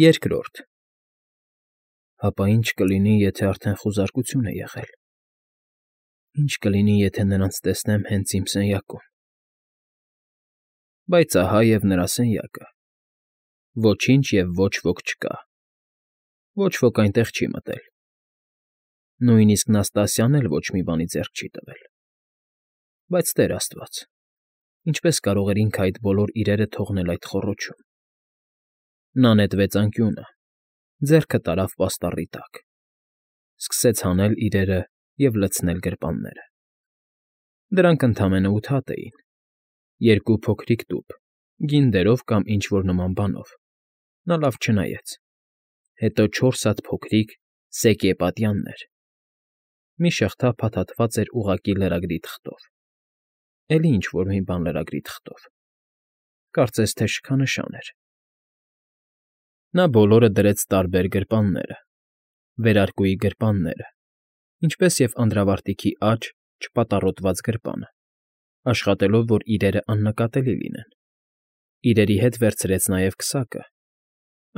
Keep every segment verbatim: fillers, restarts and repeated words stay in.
Երկրորդ Հապա ի՞նչ կլինի, եթե արդեն խուզարկություն է եղել, ի՞նչ կլինի, եթե նրանց տեսնեմ հենց իմ սենյակում… Բայց ահա և նրա սենյակը. ոչինչ և ոչ ոք չկա, ոչ ոք այնտեղ չի մտել, նույնիսկ Նաստասիան էլ ոչ մի բանի ձեռք չի տվել… Բայց, Տեր աստված, ինչպե՞ս կարող էր ինքը այդ բոլոր իրերը թողնել այդ խոռոչում… Նա նետվեց անկյունը, ձեռքը տարավ պաստառի տակ, սկսեց հանել իրերը և լցնել գրպանները. դրանք ընդամենը ութ հատ էին, երկու փոքրիկ տուփ, գինի դերով կամ ինչ֊որ նման բանով, նա լավ չնայեց, հետո չորս հատ փոքրիկ սեկե պատյաններ, մի շղթա փաթաթված էր ուղղակի լրագրի թղթով, էլի ինչ֊որ մի բան լրագրի թղթով, կարծես թե շքանշան էր… Նա բոլորը դրեց տարբեր գրպանները, վերարկուի գրպանները, ինչպես և անդրավարտիքի աջ չպատառոտված գրպանը, աշխատելով, որ իրերն աննկատելի լինեն, իրերի հետ վերցրեց նաև քսակը,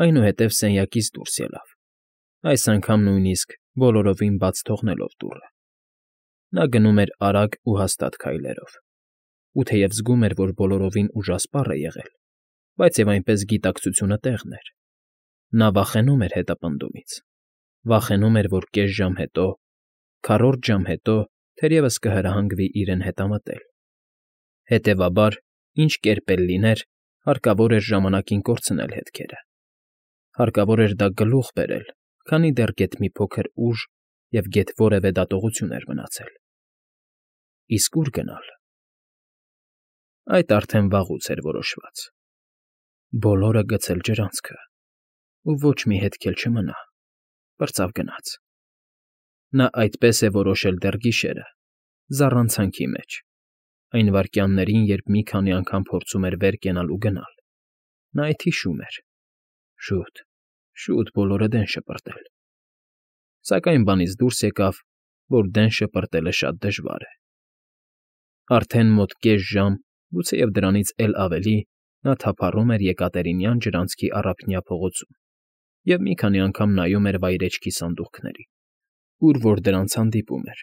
այնուհետև սենյակից դուրս ելավ, այս անգամ նույնիսկ բոլորովին բաց թողնելով դուռը… Նա գնում էր արագ ու հաստատ քայլերով, ու թեև զգում էր, որ բոլորովին ուժասպառ է եղել, բայց և այնպես գիտակցությունը տեղն էր… Նա վախենում էր հետապնդումից, վախենում էր, որ կես ժամ հետո, քառորդ ժամ հետո թերևս կհրահանգվի իրեն հետամտել… Հետևաբար, ինչ կերպ էլ լիներ, հարկավոր էր ժամանակին կորցնել հետքերը, հարկավոր էր դա գլուխ բերել, քանի դեռ գեթ մի փոքր ուժ և գեթ որևէ դատողություն էր մնացել… Իսկ ո՞ւր գնալ… Այդ արդեն վաղուց էր որոշված… Բոլորը գցել ջրանցքը, ու ոչ մի հետք էլ չմնա, պրծավ գնաց… Նա այդպես է որոշել դեռ գիշերը, զառանցանքի մեջ, այն վայրկյաններին, երբ մի քանի անգամ փորձում էր վեր կենալ ու գնալ, նա էդ հիշում էր… Շուտ, շուտ բոլորը դեն շպրտել… Սակայն բանից դուրս եկավ, որ դեն շպրտելը շատ դժվար է… Արդեն մոտ կես ժամ, գուցեև դրանից էլ ավելի նա թափառում էր Եկատերինյան ջրանցքի առափնյա փողոցում և մի քանի անգամ նայում էր վայրէջքի սանդուղքներին, ուր որ դրանց հանդիպում էր,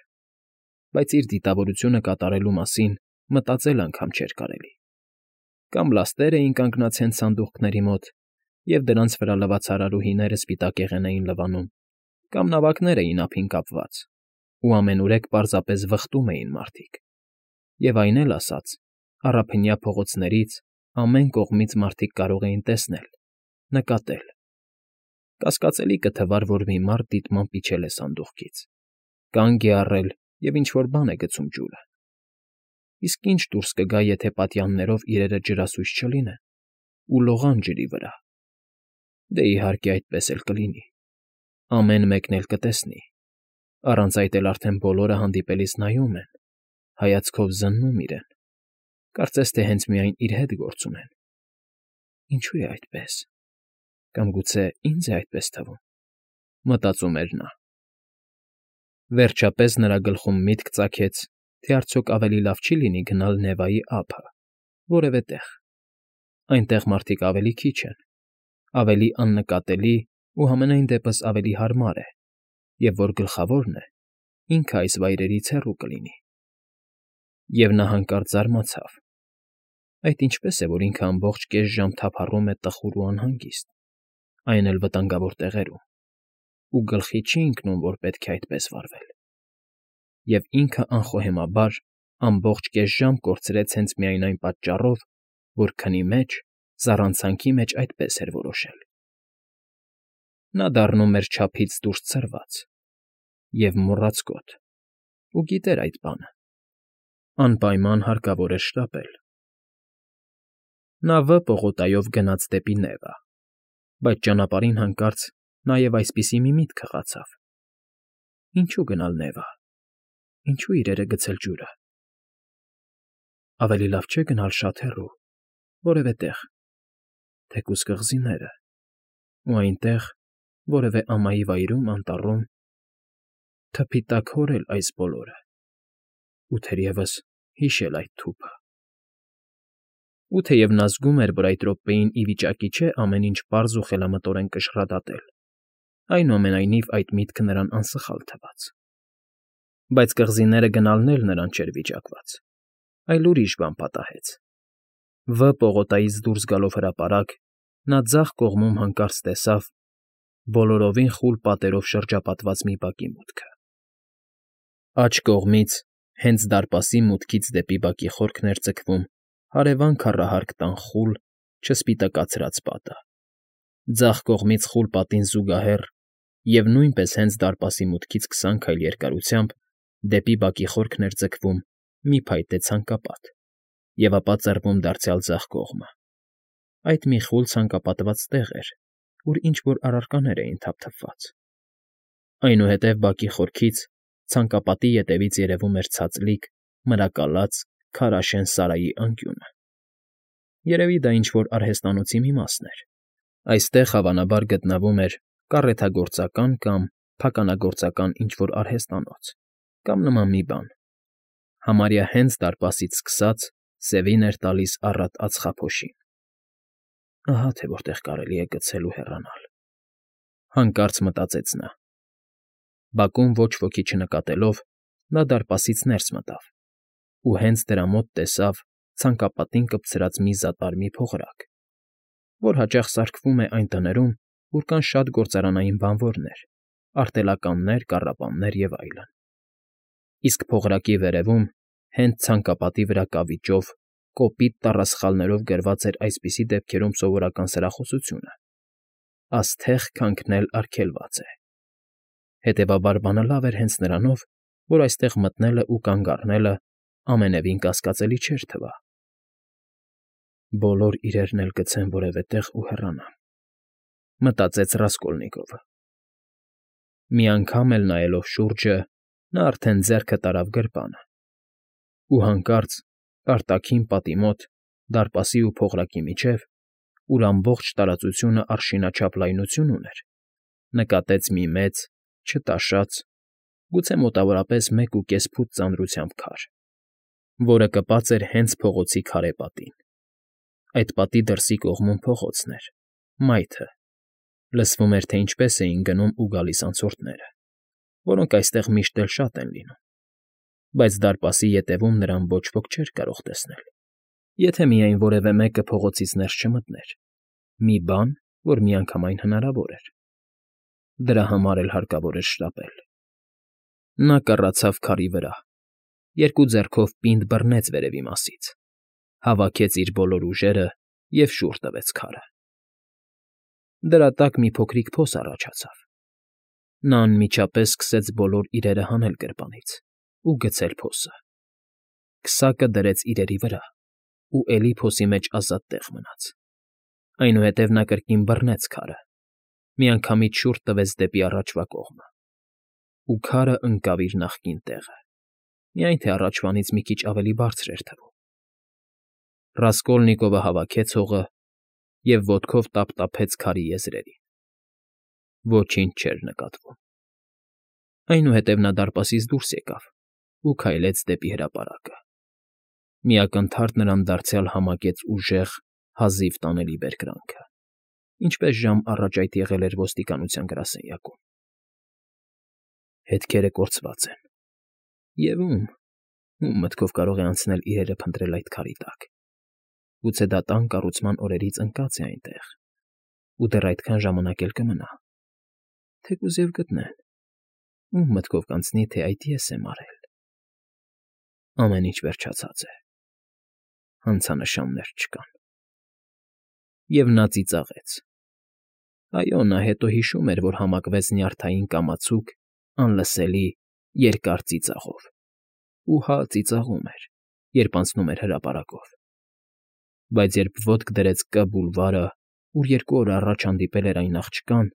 բայց իր դիտավորությունը կատարելու մասին մտածել անգամ չէր կարելի… Կամ լաստեր էին կանգնած հենց սանդուղքների մոտ, և դրանց վրա լվացարարուհիները սպիտակեղեն էին լվանում, կամ նավակներ էին ափին կապված, ու ամենուրեք պարզապես վխտում էին մարդիկ, և այն էլ ասաց, առափնյա փողոցներից ամեն կողմից մարդիկ կարող էին տեսնել, նկատել… Կասկածելի կթվար, որ մի մարդ դիտմամբ իջել է սանդուղքից, կանգ է առել և ինչ֊որ բան է գցում ջուրը… Իսկ ի՞նչ դուրս կգա, եթե պատյաններով իրերը ջրասույց չլինեն ու լողան ջրի վրա… Դե, իհարկե, այդպես էլ կլինի, ամեն մեկն էլ կտեսնի, առանց այդ էլ արդեն բոլորը հանդիպելիս նայում են, հայացքով զննում իրեն, կարծես թե հենց միայն իր հետ գործ ունեն… Ինչո՞ւ է այդպես… Կամ գուցե ի՞նձ է այդպես թվում, մտածում էր նա… Վերջապես նրա գլխում միտք ծագեց, թե արդյոք ավելի լավ չի՞ լինի գնալ Նևայի ափը, որևէ տեղ… Այնտեղ մարդիկ ավելի քիչ են, ավելի աննկատելի ու համենայն դեպս ավելի հարմար է, և որ գլխավորն է, ինքը այս վայրերից հեռու կլինի… Եվ նա հանկարծ զարմացավ. այդ ինչպե՞ս է, որ ինքը ամբողջ կես ժամ թափառում է տխուր ու անհանգիստ, այն էլ վտանգավոր տեղերում, ու գլխի չի ընկնում, որ պետք է այդպես վարվել… Եվ ինքը անխոհեմաբար ամբողջ կես ժամ կորցրեց հենց միայն այն պատճառով, որ քնի մեջ, զառանցանքի մեջ այդպես էր որոշել… Նա դառնում էր չափից դուրս ցրված և մոռացկոտ, ու գիտեր այդ բանը… Անպայման հարկավոր էր շտապել… Նա Վ պողոտայով գնաց դեպի Նևա, բայց ճանապարհին հանկարծ նաև այսպիսի մի միտք հղացավ. ինչո՞ւ գնալ Նևա, ինչո՞ւ իրերը գցել ջուրը… Ավելի լավ չէ՞ գնալ շատ հեռու, որևէ տեղ, թեկուզ կղզիները, ու այնտեղ, որևէ ամայի վայրում, անտառում, թփի տակ հորել այս բոլորը ու թերևս հիշել այդ թուփը… Ու թեև նա զգում էր, որ այդ րոպեին ի վիճակի չէ ամեն ինչ պարզ ու խելամտորեն կշռադատել, այնուամենայնիվ այդ միտքը նրան անսխալ թվաց։ Բայց կղզիները գնալն էլ նրան չէր վիճակված, այլ ուրիշ բան պատահեց։ Վ պողոտայից դուրս գալով հրապարակ, նա ձախ կողմում հանկարծ տեսավ բոլորովին խուլ պատերով շրջապատված մի բակի մուտքը։ Աջ կողմից, հենց դարպասի մուտքից դեպի բակի խորքն էր ձգվում հարևան քառահարկ տան խուլ, չսպիտակացրած պատը։ Ձախ կողմից խուլ պատին զուգահեռ և նույնպես հենց դարպասի մուտքից քսան քայլ երկարությամբ դեպի բակի խորքն էր ձգվում մի փայտե ցանկապատ և ապա ծռվում դարձյալ ձախ կողմը։ Այդ մի խուլ ցանկապատված տեղ էր, ուր ինչ֊որ առարկաներ էին թափթփված։ Այնուհետև բակի խորքից, ցանկապատի ետևից երևում էր ցածլիկ, մրակալած, քարաշեն սարայի անկյունը։ Երևի դա ինչ֊որ արհեստանոցի մի մասն էր։ Այստեղ, հավանաբար, գտնվում էր կառեթագործական կամ փականագործական ինչ֊որ արհեստանոց կամ նման մի բան։ Համարյա հենց դարպասից սկսած սևին էր տալիս առատ ածխափոշին։ Ահա թե որտեղ կարելի է գցել ու հեռանալ, հանկարծ մտածեց նա։ Բակում ոչ ոքի չնկատելով, նա դարպասից ներս մտավ ու հենց դրա մոտ տեսավ ցանկապատին կպցրած մի զատար մի փողրակ, որ հաճախ սարքվում է այն տներում, ուր կան շատ գործարանային բանվորներ, արտելականներ, կառապաններ և այլն։ Իսկ փողրակի վերևում, հենց ցանկապատի վրա կավիճով, կոպիտ տառասխալներով գրված էր այսպիսի դեպքերում սովորական սրախոսությունը. «Աստեղ քանքնել արգելված է»։ Հետևաբար բանը լավ էր հենց նրանով, որ այստեղ մտնելն ու կանգ առնելն ամենևին կասկածելի չէր թվա։ «Բոլոր իրերն էլ գցեմ որևէ տեղ ու հեռանամ», մտածեց Ռասկոլնիկովը։ Մի անգամ էլ նայելով շուրջը, նա արդեն ձեռքը տարավ գրպանը, ու հանկարծ արտաքին պատի մոտ, դարպասի ու փողրակի միջև, ուր ամբողջ տարածությունը արշինաչափ լայնություն ուներ, նկատեց մի մեծ, չտաշած, գուցե մոտավորապես մեկ ու կես ֆուտ ծանրությամբ քար, որը կպած էր հենց փողոցի քարե պատին։ Այդ պատի դրսի կողմում փողոցն էր, մայթը, լսվում էր, թե ինչպես էին գնում ու գալիս անցորդները, որոնք այստեղ միշտ էլ շատ են լինում, բայց դարպասի ետևում նրան ոչ ոք չէր կարող տեսնել, եթե միայն որևէ մեկը փողոցից ներս չմտներ, մի բան, որ միանգամայն հնարավոր էր։ Դրա համար էլ հարկավոր էր շտապել։ Նա կռացավ քարի վրա, երկու ձեռքով պինդ բռնեց վերևի մասից, հավաքեց իր բոլոր ուժերը և շուռ տվեց քարը։ Դրա տակ մի փոքրիկ փոս առաջացավ։ Նա անմիջապես սկսեց բոլոր իրերը հանել գրպանից ու գցել փոսը։ Քսակը դրեց իրերի վրա ու էլի փոսի մեջ ազատ տեղ մնաց։ Այնուհետև նա կրկին բռնեց քարը, միանգամից շուռ տվեց դեպի առաջվա կողմը, ու քարը ընկավ իր նախկին տեղը, միայն թե առաջվանից մի քիչ ավելի բարձր էր թվում։ Ռասկոլնիկովը հավաքեց հողը և ոտքով տափտափեց քարի եզրերին։ Ոչինչ չէր նկատվում։ Այնուհետև նա դարպասից դուրս եկավ ու քայլեց դեպի հրապարակը։ Մի ակնթարթ նրան դարձյալ համակեց ուժեղ, հազիվ տանելի բերկրանքը, ինչպես ժամ առաջ այդ եղել էր ոստիկանության գրասենյակում։ Հետքերը կորցված են, և ո՞ւմ, ո՞ւմ մտքով կարող է անցնել իրերը փնտրել այդ քարի տակ։ Գուցե դա տան կառուցման օրերից ընկած է այնտեղ, ու դեռ այդքան ժամանակ էլ կմնա։ Թեկուզ և գտնեն, ո՞ւմ մտքով կանցնի, թե այդ ես եմ արել։ Ամեն ինչ վերջացած է, հանցանշաններ չկան։ Եվ նա ծիծաղեց։ Այո, նա հետո հիշում էր, որ համակվեց նյարդային կամացուկ, անլսելի, երկար ծիծաղով, ու հա ծիծաղում էր, երբ անցնում էր հրապարակով։ Բայց երբ ոտք դրեց Կ Բուլվարը, ուր երկու օր առաջ հանդիպել էր այն աղջկան,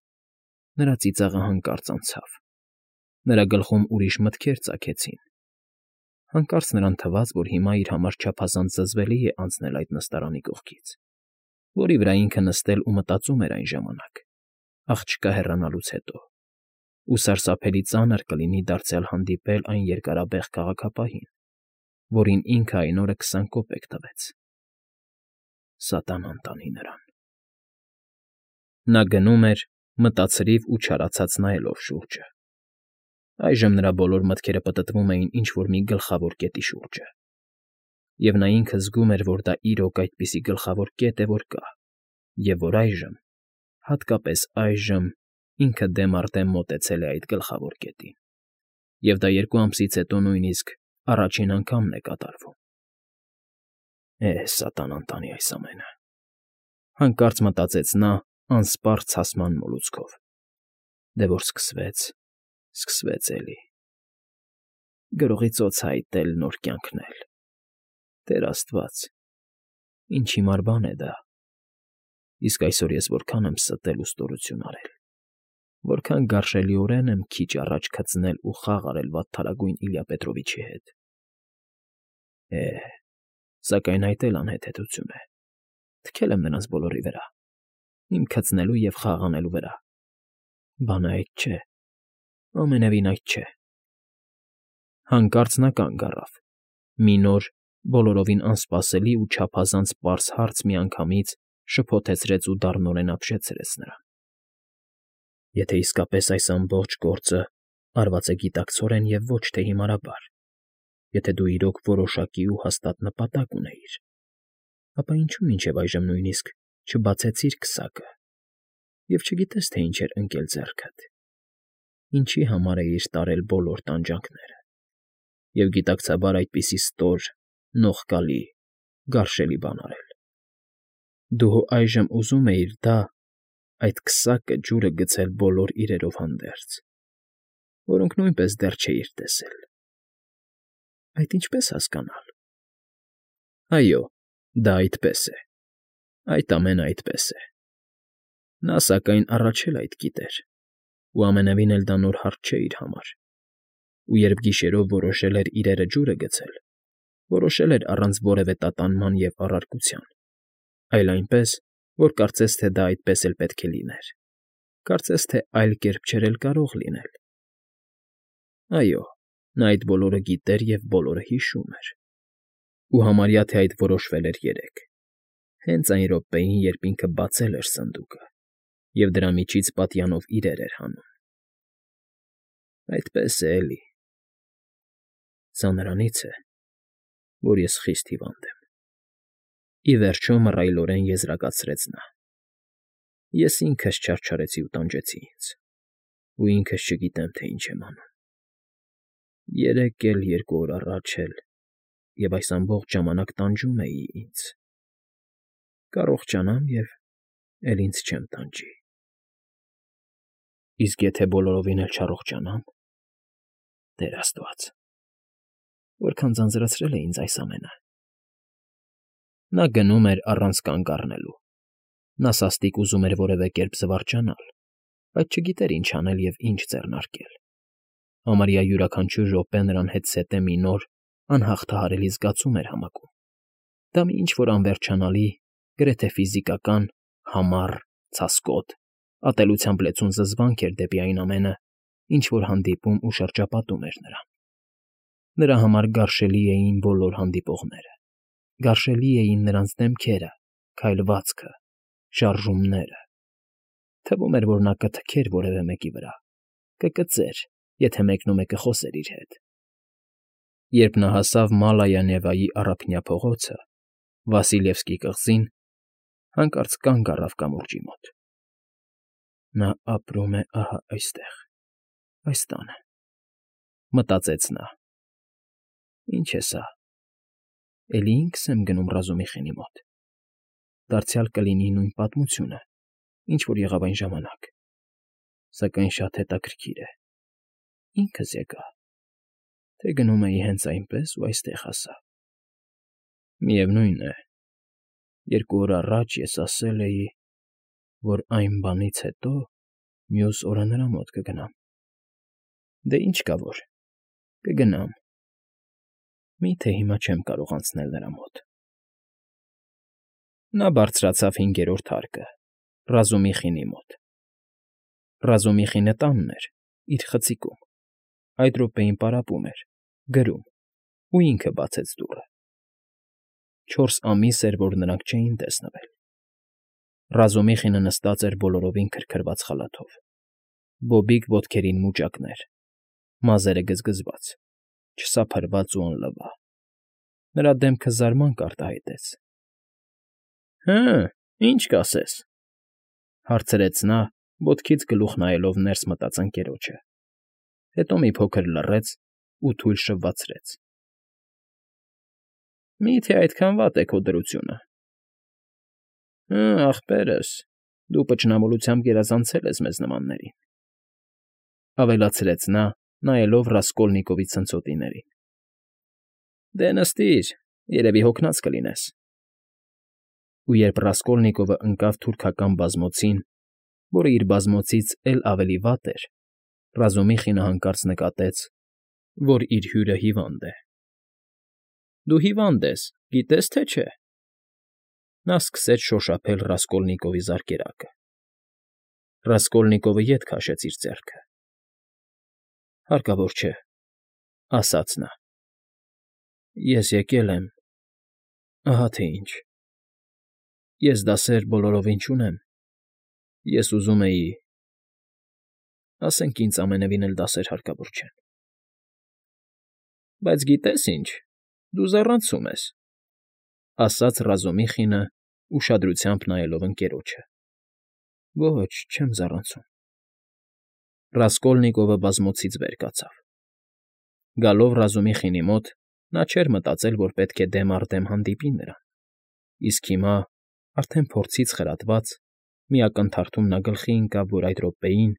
նրա ծիծաղը հանկարծ անցավ։ Նրա գլխում ուրիշ մտքեր ծագեցին։ Հանկարծ նրան թվաց, որ հիմա իր համար չափազանց զզվելի է անցնել այդ նստարանի կողքից, որի վրա ինքը նստել ու մտածում էր այն ժամանակ, աղջկա հեռանալուց հետո, ու սարսափելի ծանր կլինի դարձյալ հանդիպել այն երկարաբեղ քաղաքապահին, որին ինքը այն օրը քսան կոպեկ տվեց։ Սատանան տանի նրան։ Նա գնում էր, մտածրիվ ու չարացած նայելով շուրջը։ Այժմ նրա բոլոր մտքերը պտտվում էին ինչ֊որ մի գլխավոր կետի շուրջը, և նա ինքը զգում էր, որ դա իրոք այդպիսի գլխավոր կետ է, որ կա, և որ այժմ, հատկապես այժմ, ինքը դեմ առ դեմ մոտեցել է այդ գլխավոր կետին, և դա երկու ամսից հետո նույնիսկ առաջին անգամն է կատարվում։ «Է, սատանան տանի այս ամենը,֊ հանկարծ մտածեց նա անսպառ ցասման մոլուցքով։֊ Դե որ սկսվեց, սկսվեց էլի… Գրողի ծոց հայտնել, նոր կյանքնել… Տեր աստված, ինչ հիմար բան է դա… Իսկ այսօր ես որքան եմ ստել ու ստորություն արել, որքան գարշելիորեն եմ քիչ առաջ քծնել ու խաղ արել վատթարագույն Իլյա Պետրովիչի հետ… Է, սակայն այդ էլ անհեթեթություն է… Թքել եմ նրանց բոլորի վրա, իմ քծնելու և խաղ անելու վրա… Բանը այդ չէ, ամենևին այդ չէ… Հանկարծ նա կանգ առավ… Մի նոր, բոլորովին անսպասելի ու չափազանց պարզ հարց միանգամից շփոթեցրեց ու դառնորեն ապշեցրեց նրան։ Եթե իսկապես այս ամբողջ գործը արված է գիտակցորեն և ոչ թե հիմարաբար, եթե դու իրոք որոշակի ու հաստատ նպատակ ունեիր, ապա ինչո՞ւ մինչև այժմ նույնիսկ չբացեցիր քսակը և չգիտես, թե ինչ էր ընկել ձեռքդ, ինչի համար էիր տարել բոլոր տանջանքները և գիտակցաբար այդպիսի ստոր, նողկալի, գարշելի բան արել… Դու այժմ ուզում էիր դա, այդ քսակը ջուրը գցել բոլոր իրերով հանդերձ, որոնք նույնպես դեռ չէիր տեսել… Այդ ինչպե՞ս հասկանալ… Այո, դա այդպես է, այդ ամենը այդպես է… Նա, սակայն, առաջ էլ այդ գիտեր ու ամենևին էլ դա նոր հարց չէ իր համար, ու երբ գիշերով որոշել էր իրերը ջուրը գցել, որոշել էր առանց որևէ տատանման և առարկության, այլ այնպես, որ կարծես թե դա այդպես էլ պետք է լիներ, կարծես թե այլ կերպ չէր էլ կարող լինել… Այո, նա այդ բոլորը գիտեր և բոլորը հիշում էր… Ու համարյա թե այդ որոշվել էր երեկ, հենց այն րոպեին, երբ ինքը բացել էր սնդուկը և դրա միջից պատյանով իրեր էր հանում… Այդպես է, էլի… Սա նրանից է, որ ես խիստ հիվանդ եմ… Ի վերջո մռայլորեն եզրակացրեց նա… Ես ինքս չարչարեցի ու տանջեցի ինձ, ու ինքս չգիտեմ, թե ինչ եմ անում… Երեկ էլ, երկու օր առաջ էլ և այս ամբողջ ժամանակ տանջում էի ինձ… Կառողջանամ և էլ ինձ չեմ տանջի… Իսկ եթե բոլորովին էլ չառողջանամ… Տեր աստված… Որքան ձանձրացրել է ինձ այս ամենը… Նա գնում էր առանց կանգ առնելու… Նա սաստիկ ուզում էր որևէ կերպ զվարճանալ, բայց չգիտեր ինչ անել և ինչ ձեռնարկել… Համարյա յուրաքանչյուր րոպե նրան հետզհետե մի նոր, անհաղթահարելի զգացում էր համակում… Դա մի ինչ֊որ անվերջանալի, գրեթե ֆիզիկական, համառ, ցասկոտ, ատելությամբ լեցուն զզվանք էր դեպի այն ամենը, ինչ որ հանդիպում ու շրջապատում էր նրան… Նրա համար գարշելի էին բոլոր հանդիպողները, գարշելի էին նրանց դեմքերը, քայլվածքը, շարժումները… Թվում էր, որ նա կթքեր որևէ մեկի վրա, կկծեր, եթե մեկնումեկը խոսեր իր հետ… Երբ նա հասավ Մալայա Նևայի առափնյա փողոցը, Վասիլևսկի կղզին, հանկարծ կանգ առավ կամուրջի մոտ… Նա ապրում է ահա այստեղ, այս տանը, մտածեց նա… Ինչ է սա… Էլի ինքս եմ գնում Ռազումիխինի մոտ… Դարձյալ կլինի նույն պատմությունը, ինչ որ եղավ այն ժամանակ… Սակայն շատ հետաքրքիր է… Ինքս եկա, թե գնում էի հենց այնպես ու այստեղ հասա… Միևնույն է, երկու օր առաջ ես ասել էի, որ այն բանից հետո մյուս օրը նրա մոտ կգնամ… Դե ինչ կա որ, կգնամ… Մի՞թե հիմա չեմ կարող անցնել նրա մոտ… Նա բարձրացավ հինգերորդ հարկը, Ռազումիխինի մոտ… Ռազումիխինը տանն էր, իր խցիկում, այդ րոպեին պարապում էր, գրում, ու ինքը բացեց դուռը… Չորս ամիս էր, որ նրանք չէին տեսնվել։ Ռազումիխինը նստած էր բոլորովին քրքրված խալաթով, բոբիկ ոտքերին մուճակներ, մազերը գզգզված, չսափրված ու անլվա։ Նրա դեմքը զարմանք արտահայտեց։ ֊ Հը, ի՞նչ կասես,֊ հարցրեց նա, ոտքից գլուխ նայելով ներս մտած ընկերոջը, հետո մի փոքր լռեց ու թույլ շվվացրեց։ ֊ Մի՞թե այդքան վատ է քո դրությունը։ ֊ Հը, ախպերս, դու պճնամոլությամբ գերազանցել ես մեզ նմաններին,֊ ավելացրեց նա, նայելով Ռասկոլնիկովի ցնցոտիներին։ ֊ Դե նստիր, երևի հոգնած կլինես։ Ու երբ Ռասկոլնիկովը ընկավ թուրքական բազմոցին, որը իր բազմոցից էլ ավելի վատ էր, Ռազումիխինը հանկարծ նկատեց, որ իր հյուրը հիվանդ է։ ֊ Դու հիվանդ ես, գիտես թե չէ։ Նա սկսեց շոշափել Ռասկոլնիկովի զարկերակը։ Ռասկոլնիկովը ետ քաշեց իր ձեռքը։ ֊ Հարկավոր չէ,֊ ասաց նա։ Ես եկել եմ… ահա թե ինչ։ Ես դասեր բոլորովին չունեմ, ես ուզում էի… ասենք ինձ ամենևին էլ դասեր հարկավոր չեն։ ֊ Բայց գիտես ինչ, դու զառանցում ես,֊ ասաց Ռազումիխինը, ուշադրությամբ նայելով ընկերոջը։ ֊ Ոչ, չեմ զառանցում։ Ռասկոլնիկովը բազմոցից վեր կացավ։ Գալով Ռազումիխինի մոտ՝ նա չէր մտածել, որ պետք է դեմ առ դեմ հանդիպի նրան, իսկ հիմա, արդեն փորձից խրատված, մի ակնթարթում նա գլխի ընկավ, որ այդ րոպեին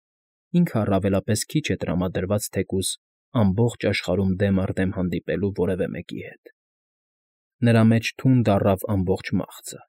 ինքը առավելապես քիչ է տրամադրված թեկուզ ամբողջ աշխարհում դեմ առ դեմ հանդիպելու որևէ մեկի հետ։ Նրա մեջ թունդ առավ ամբողջ մաղձը։